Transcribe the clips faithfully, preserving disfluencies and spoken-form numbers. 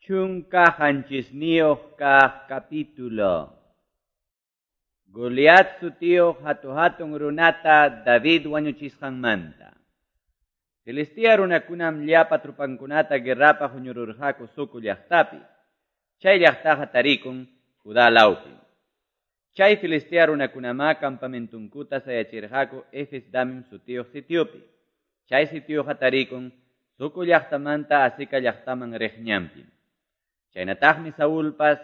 Chunka qanchisniyuq kaq capítulo. Goliat sutiyuq hatu-hatun runata David wañuchisqanmanta. Filistea runakunam llapa trupankunata guerrapaq huñururqaku Soco llaqtapi. Chay llaqtaqa tarikun Judá lawpi. Chay Filistea runakunamá campamentunkuta sayachirqaku Efes Damim sutiyuq sitiopi. Chay sitioqa tarikun Soco llaqtamanta Azeca llaqtaman riq ñanpim. Chaynataqmi Saulpas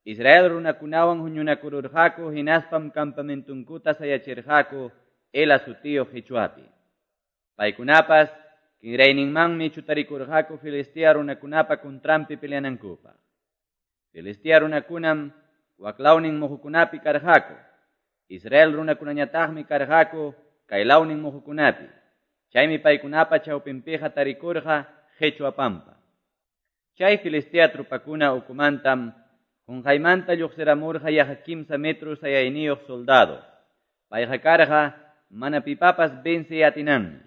Israel runakunawan huñunakururqaku hinaspam campamentunkuta sayachirqaku Ela sutiyuq qichwapi. Paykunapas kinrayninmanmi chutarikurqaku Filistea runakunapa kuntranpi peleanankupaq. Filistea runakunam waklawnin muhukunapi karqaku. Israel runakunañataqmi karqaku kaylawnin muhukunapi. Chaymi paykunapa chawpinpiqa tarikurqa qichwa pampa. Chay Filistea trupakuna ukumantam qunqaymanta lluqsiramurqa yaqa kimsa metro sayayniyuq soldado. Payqa karqa mana pipapas vencey atinanmi.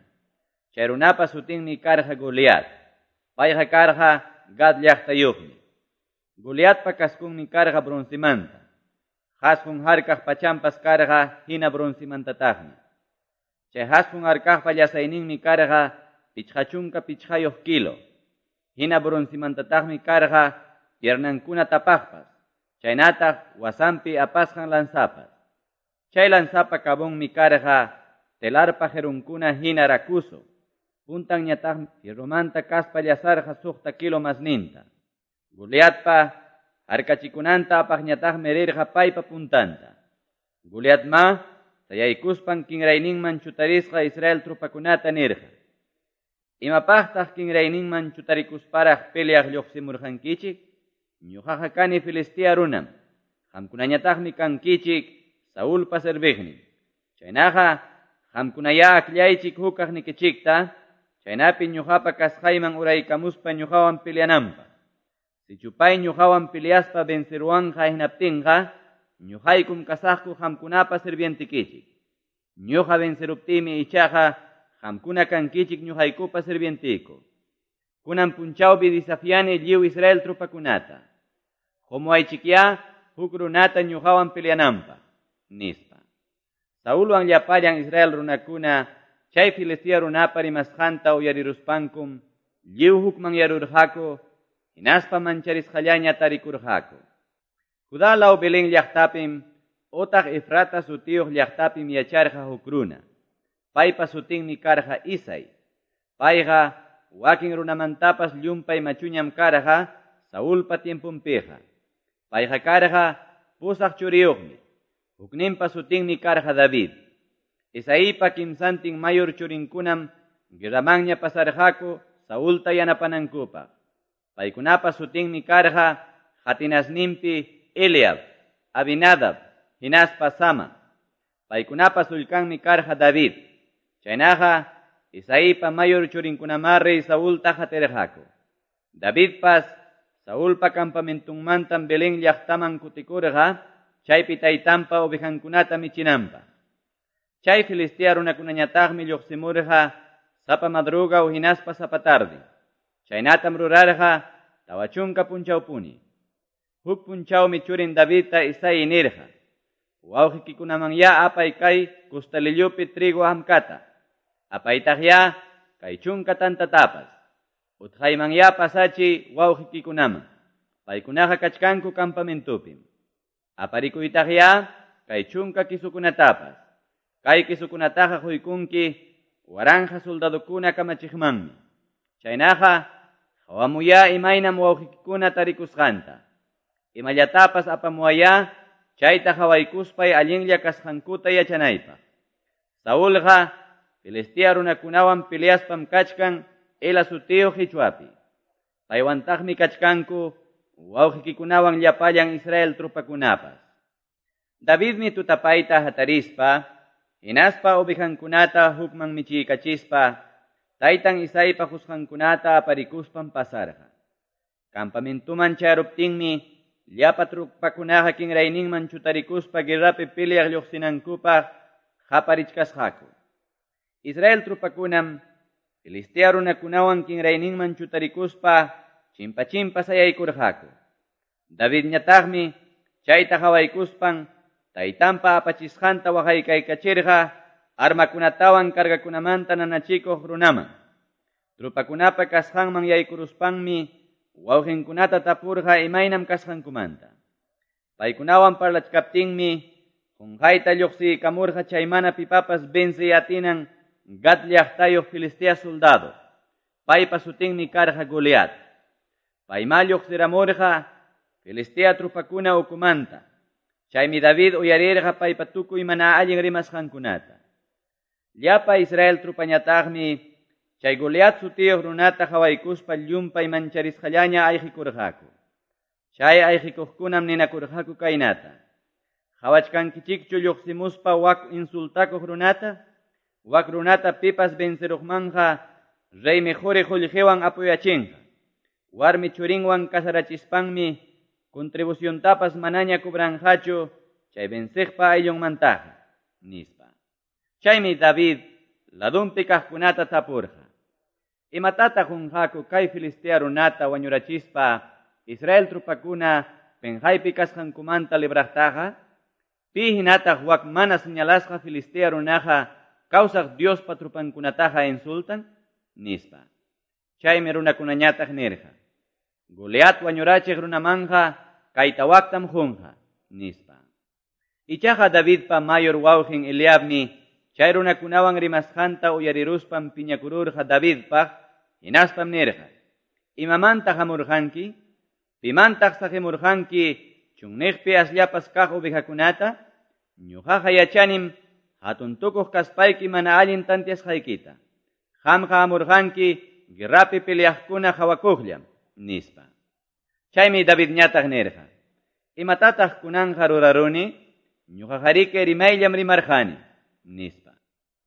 Chay runapa sutinmi karqa Goliat. Payqa karqa Gad llaqtayuqmi. Goliatpa kaskunmi karqa broncemanta. Hasqun harkaq pachampas karqa hina broncemantataqmi. Chay hasqun harkaqpa llasayninmi karqa pichqa chunka pichqayuq kilo. Hina broncemantataqmi karqa piernankuna tapaqpas. Chaynataq wasanpi apasqan lanzapas. Chay lanzapa cabonmi karqa telarpa jerunkuna hina rakuso. Puntanñataqmi fierromanta kaspa llasarqa suqta kilo masninta. Goliatpa harkachikunanta apaqñataqmi rirqa paypa puntanta. Goliatma sayaykuspan kinrayninman chutarisqa Israel trupakunata nirqa: Imapaqtaq kinrayninman chutarikusparaq peleaq lluqsimurqankichik? Ñuqaqa kani Filistea runam. Qamkunañataqmi kankichik Saulpa serviqnin. Chaynaqa qamkunayá akllaychik hukaqnikichikta, chaynapi ñuqapa kasqayman uraykamuspa ñuqawan peleananpaq. Sichu pay ñuqawan peleaspa venceruwanqa hinaptinqa, ñuqaykum kasaqku qamkunapa sirvientikichik. Ñuqa venceruptiymi ichaqa qamkuna kankichik ñuqaykupa sirvientiku. Kunan punchawpi desafiani lliw Israel trupakunata. Qumuwaychikyá huk runata ñuqawan peleananpaq, nispa. Saulwan llapallan Israel runakuna chay Filistea runapa rimasqanta uyariruspankum lliw hukmanyarurqaku, hinaspa mancharisqallaña tarikurqaku. Judá law Belén llaqtapim otaq Efrata sutiyuq llaqtapim yacharqa huk runa. Paypa sutinmi karqa Isai. Payqa wakin runamantapas llumpay machuñam karqa Saulpa tiemponpiqa. Payqa karqa pusaq churiyuqmi. Hukninpa sutinmi karqa David. Isaipa kimsantin mayor churinkunam guerramanña pasarqaku Saulta yanapanankupaq. Paykunapa sutinmi karqa qatinasninpi Eliab, Abinadab, hinaspa Sama. Paykunapa sullkanmi karqa David. Chaynaqa Isaipa mayor churinkunamá rey Saulta qatirqaku. Davidpas Saulpa campamentunmantam Belén llaqtaman kutikurqa, chaypi taytanpa ovejankunata michinanpaq. Chay Filistea runakunañataqmi lluqsimurqa sapa madrugaw hinaspa sapa tarde. Chaynatam rurarqa tawa chunka punchawpuni. Huk punchawmi churin Davidta Isai nirqa: Wawqikikunamanyá apay kay kustalillupi trigo hamkata. Apaytaqyá kay chunka tantatapas. Utqaymanyá pasachi wawqikikunaman. Paykunaqa kachkanku campamentupim. Aparikuytaqyá kay chunka kisukunatapas. Kay kisukunataqa quykunki waranja soldadokuna kamachiqmanmi. Chaynaqa qawamuyá imaynam wawqikikuna tarikusqanta. Imallatapas apamuwayá chayta qawaykuspay allinlla kasqankuta yachanaypaq. Saulqa Filistea runakunawan peleaspam kachkan Ela sutiyuq qichwapi. Paywantaqmi kachkanku wawqikikunawan llapallan Israel trupakunapas. Davidmi tutapayta hatarispa, hinaspa ovejankunata hukman michiykachispa, taytan Isaipa qusqankunata aparikuspan pasarqa. Campamentuman chayaruptinmi llapa trupakunaqa kinrayninman chutarikuspa guerrapi peleaq lluqsinankupaq qaparichkasqaku. Israel trupakunam Filistea runakunawan kinrayninman chutarikuspa chimpa-chimpa sayaykurqaku. Davidñataqmi chayta qawaykuspan taytanpa apachisqanta waqaykaykachirqa armakunatawan cargakunamanta nanachikuq runaman. Trupakunapa kasqanman yaykuruspanmi wawqinkunata tapurqa imaynam kasqankumanta. Paykunawan parlachkaptinmi qunqayta lluqsiykamurqa chay mana pipapas venciy atinan Gat llaqtayuq Filistea soldado. Paypa sutinmi karqa Goliat. Payma lluqsiramurqa Filistea trupakuna ukumanta. Chaymi David uyarirqa paypa tukuy mana allin rimasqankunata. Llapa Israel trupañataqmi chay Goliat sutiyuq runata qawaykuspa llumpay mancharisqallaña ayqikurqaku. Chay ayqikuqkunam ninakurqaku kaynata: Qawachkankichikchu lluqsimuspa wak insultakuq runata? Wak runata pipas venceruqmanja reymi quri qullqiwan apuyachinqa. Warmi churinwan casarachispanmi contribuciontapas manaña cobranqachu chay venciqpa ayllunmantaqa, nispa. Chaymi David ladunpi kaqkunata tapurqa: Imatataq qunqaku kay Filistea runata wañurachispa Israel trupakuna penqaypi kasqankumanta libraqtaqa? Pi hinataq wak mana señalasqa Filistea runaqa kawsaq Diospa trupankunataqa insultan? Nispa. Chaymi runakunañataq nirqa: Goliat wañurachiq runamanja kayta waktam qunqa, nispa. Ichaqa Davidpa mayor wawqin Eliabmi chay runakunawan rimasqanta uyariruspan piñakururqa Davidpaq, hinaspam nirqa: Imamantaq hamurqanki? Pimantaq saqimurqanki chunniqpi asllapas kaq ovejakunata? Ñuqaqa yachanim hatun tukuq kaspayki mana allin tantiasqaykita. Qamqa hamurqanki guerrapi peleaqkuna qawakuqllam, nispa. Chaymi Davidñataq nirqa: Imatataq kunanqa ruraruni? Ñuqaqariki rimayllam rimarqani, nispa.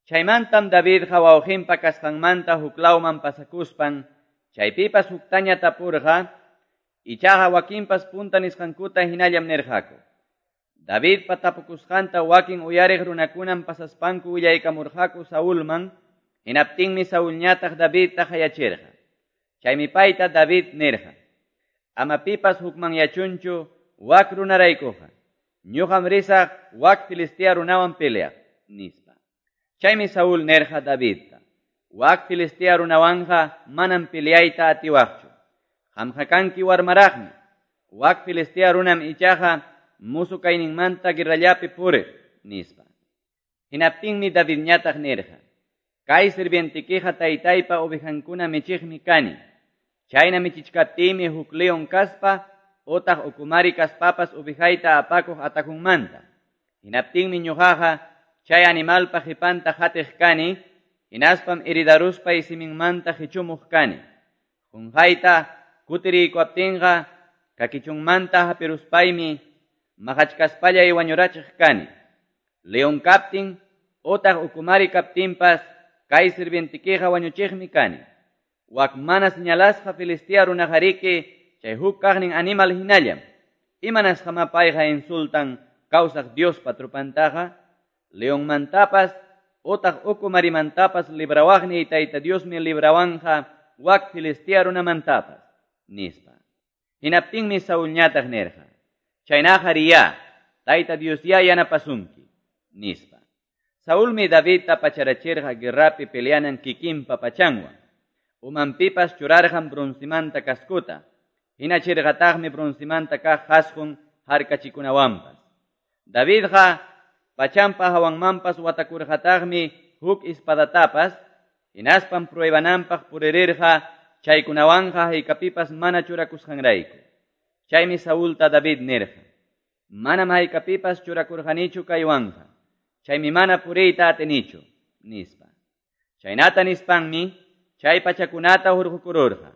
Chaymantam Davidqa wawqinpa kasqanmanta huklawman pasakuspan chaypipas huktaña tapurqa, ichaqa wakinpas punta nisqankuta hinallam nirqaku. Davidpa tapukusqanta wakin uyariq runakunam pasaspanku willaykamurqaku Saulman, hinaptinmi Saulñataq Davidta qayachirqa. Chaymi payta David nirqa: Ama pipas hukmanyachunchu wak runaraykuqa. Ñuqam risaq wak Filistea runawan peleaq, nispa. Chaymi Saúl nirqa Davidta: Wak Filistea runawanja manam peleayta atiwaqchu. Qamqa kanki warmaraqmi. Wak Filistea runam ichaqa musu kayninmanta guerrallapi puriq, nispa. Hinaptinmi Davidñataq nirqa: Kay sirvientikiqa taytaypa ovejankuna michiqmi kani. Chayna michichkaptiymi huk león kaspa otaq ukumari kaspapas ovejayta apakuq atakunmanta. Hinaptinmi ñuqaqa chay animalpa qhipanta qatiq kani, hinaspam heridaruspay siminmanta qichumuq kani. Qunqayta kutiriykuaptinqa kakichunmanta hapiruspaymi maqachkaspallay wañurachiq kani. León kaptin otaq ukumari kaptinpas kay sirvientikiqa wañuchiqmi kani. Wak mana señalasqa Filistea runaqariki chay huk kaqnin animal hinallam. Imanasqama payqa insultan kawsaq Diospa trupantaqa? Leonmantapas otaq ukumarimantapas librawaqniy Tayta Diosmi librawanja wak Filistea runamantapas, nispa. Hinaptinmi Saulñataq nirqa: Chaynaqa riya, Tayta Diosya yanapasunki, nispa. Saulmi Davidta pacharachirqa guerrapi peleanan kikinpa pachanwan. Umanpipas churarqan broncimanta cascota, hinachirqataqmi broncimanta kaq qasqun harkachikunawanpas. Davidqa pachampa hawanmanpas watakurqataqmi huk espadatapas, hinaspam pruebananpaq puririrqa chaykunawanqa haykapipas mana churakusqanrayku. Chaymi Saulta David nirqa: Manam haykapipas churakurqanichu kaywanqa, chaymi mana puriyta atinichu, nispa. Chaynata nispanmi chay pachakunata hurqukururqa.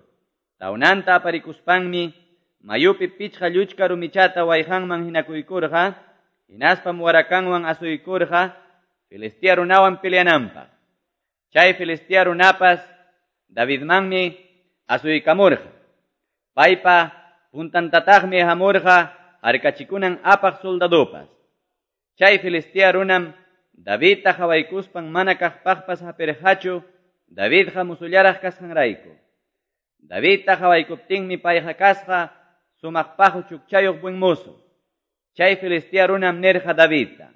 Tawnanta aparikuspanmi mayupi pichqa lluchka rumichata wayqanman hinakuykurqa, hinaspam warakanwan asuykurqa Filistea runawan peleananpaq. Chay Filistea runapas Davidmanmi asuykamurqa. Paypa puntantataqmi hamurqa harkachikunan apaq soldadopas. Chay Filistea runam Davidta qawaykuspan mana kaqpaqpas hapirqachu, Davidqa musullaraq kasqanrayku. Davidta qawaykuptinmi payqa kasqa sumaq paqu chukchayuq buen mozo. Chay Filistea runam nirqa Davidta: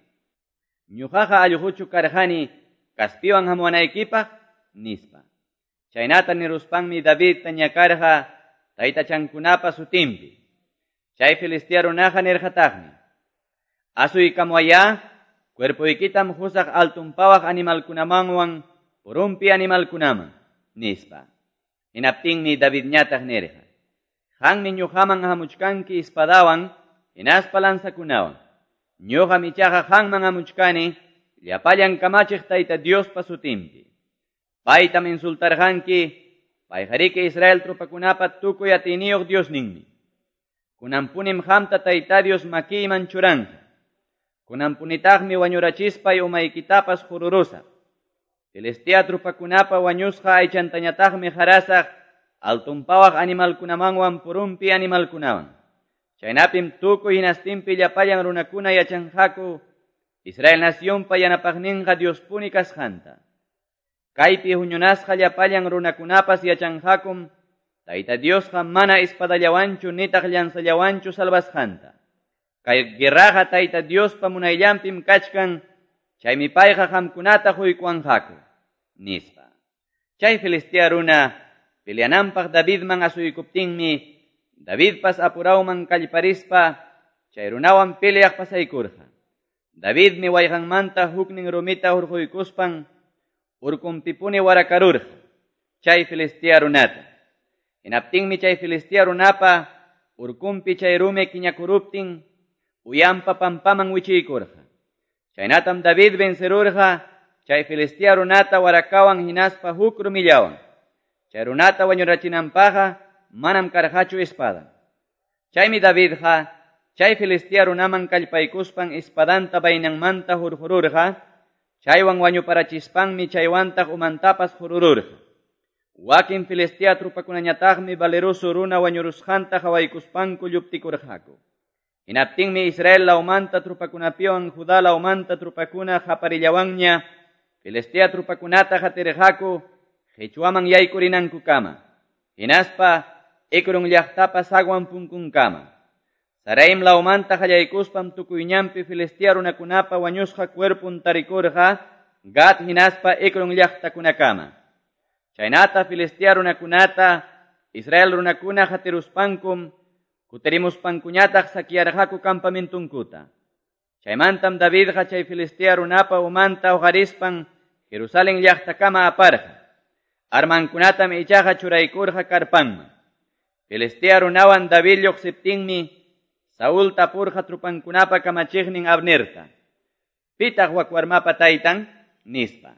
"Ñuqaqa allquchu karqani kaspiwan hamuwanaykipaq?" nispa. Chaynata niruspanmi Davidta ñakarqa taytachankunapa sutinpi. Chay Filistea runaqa nirqataqmi: "Asuykamuwayá, cuerpoykitam husaq altunpawaq animalkunamanwan purunpi animalkunaman", nispa. Hinaptinmi Davidñataq nirqa: "Qanmi ñuqaman hamuchkanki espadawan hinaspa lanzakunawan. Ñuqam ichaqa qanman hamuchkani llapallan kamachiq Tayta Diospa sutinpi. Paytam insultarqanki, payqariki Israel tropakunapa tukuy atiyniyuq Diosninmi. Kunanpunim qamta Tayta Dios makiyman churanqa. Kunanpunitaqmi wañurachispay umaykitapas jururusaq. Filistea tropakunapa wañusqa aychantañataqmi qarasaq altunpawaq animalkunamanwan purunpi animalkunawan. Chaynapim tukuy hinastinpi llapallan runakuna yachanqaku Israel nacionpa yanapaqninqa Diospuni kasqanta. Kaypi huñunasqa llapallan runakunapas yachanqakum Tayta Diosqa mana espadallawanchu nitaq llanzallawanchu salvasqanta. Kay guerraqa Tayta Diospa munayllanpim kachkan, chaymi payqa qamkunata huykuwanqaku", nispa. Chay Filistea runa peleananpaq Davidman asuykuptinmi Davidpas apurawman kallparispa chay runawan peleaq pasaykurqa. Davidmi wayqanmanta huknin rumita hurquykuspan urkunpipuni warakarurqa chay Filistea runata. Hinaptinmi chay Filistea runapa urkunpi chay rumi kiñakuruptin uyanpa pampaman wichiykurqa. Chaynatam David vencerurqa chay Filistea runata warakawan hinaspa huk rumillawan. Chay runata wañurachinanpaqqa manam karqachu espada. Chaymi Davidqa chay Filistea runaman kallpaykuspan espadanta vainanmanta hurqururqa, chaywan wañuparachispanmi chaywantaq umantapas hurururqa. Wakin Filistea tropakunañataqmi valeroso runa wañurusqanta qawaykuspanku lluptikurqaku. Hinaptinmi Israel lawmanta tropakunapiwan Judá lawmanta tropakuna qaparillawanña Filistea tropakunata qatirqaku qichwaman yaykurinankukama, hinaspa Ecrón llaqtapa sagwan punkunkama. Saraim lawmanta qallaykuspam tukuyñanpi Filistea runakunapa wañusqa cuerpun tarikurqa Gat hinaspa Ecrón llaqtakunakama. Chaynata Filistea runakunata Israel runakuna qatiruspankum kutirimuspankuñataq saquearqaku campamentunkuta. Chaymantam Davidqa chay Filistea runapa umanta uqarispan Jerusalén llaqtakama aparqa. Armankunatam ichaqa churaykurqa karpanman. Filistea runawan David lluqsiptinmi Saúl tapurqa trupankunapa kamachiqnin Abnerta: "Pitaq wak warmapa taytan?" nispa.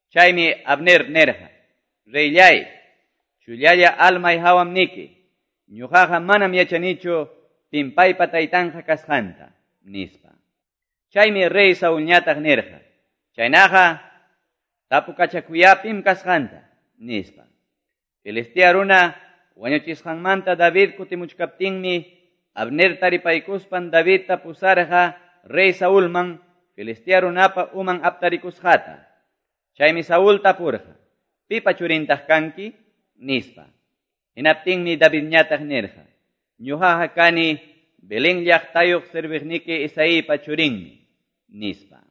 Chaymi Abner nirqa: "Reyllay, chullalla almay hawam niki, ñuqaqa manam yachanichu pim paypa taytanqa kasqanta", nispa. Chaymi rey Saulñataq nirqa: "Chaynaqa tapukachakuya pim kasqanta", nispa. Filistea runa wañuchisqanmanta David kutimuchkaptinmi Abner taripaykuspan Davidta pusarqa rey Saulman Filistea runapa uman aptarikusqata. Chaymi Saúl tapurqa: "Pipa churintaq kanki?" nispa. Hinaptinmi Davidñataq nirqa: "Ñuqaqa kani Belén llaqtayuq serviqniki Isaípa churinmi", nispa.